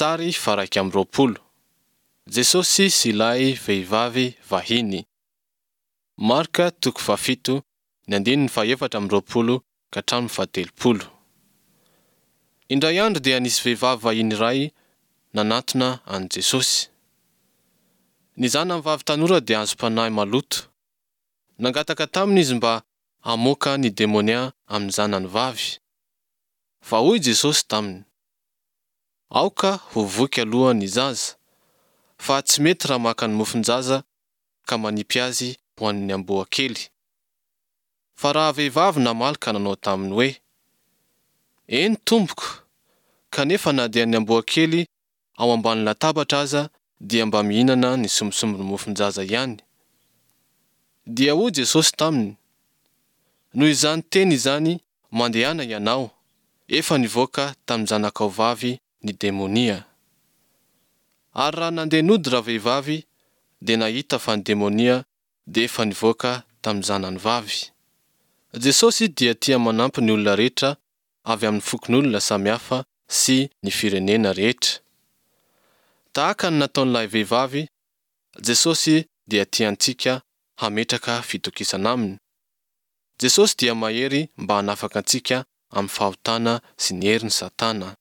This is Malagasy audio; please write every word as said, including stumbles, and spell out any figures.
Sary faha-iraika amby roapolo: Jesosy sy ilay vehivavy vahiny. Marka toko fahafito, ny andininy fahaefatra amby roapolo ka hatramin'ny fahatelopolo. Indray andro dia nisy vehivavy vahiny iray nanatona an'i Jesosy. Ny zanany vavy tanora dia azom-panahy maloto. Nangataka taminy izy mba hamoaka ny demonia amin'ny zanany vavy. Fa hoy Jesosy taminy: Aoka ho voky aloha ny zaza, fa tsy mety raha maka ny mofon-jaza ka manipy azy ho an'ny amboa kely. Fa raha vehivavy namaly ka nanao taminy hoe: Eny tompoko, kanefa na dia ny amboa kely ao ambany latabatra aza dia mba mihinana ny sombisombin'ny mofon-jaza ihany. Dia hoy Jesosy taminy: Noho izany teny izany, mandehana ianao, efa nivoaka tamin'ny zanakao vavy ny demonia. Ary raha nandeha nody ravehivavy, dia nahita fa ny demonia dia efa nivoaka tamin'ny zanany vavy. Jesosy dia tia manampy ny olona rehetra avy amin'ny fokon'olona samihafa sy ny firenena rehetra. Tahaka ny nataon'ilay vehivavy, Jesosy dia tia antsika hametraka fitokisana aminy. Jesosy dia mahery mba hanafaka antsika amin'ny fahotana sy ny herin'i Satana.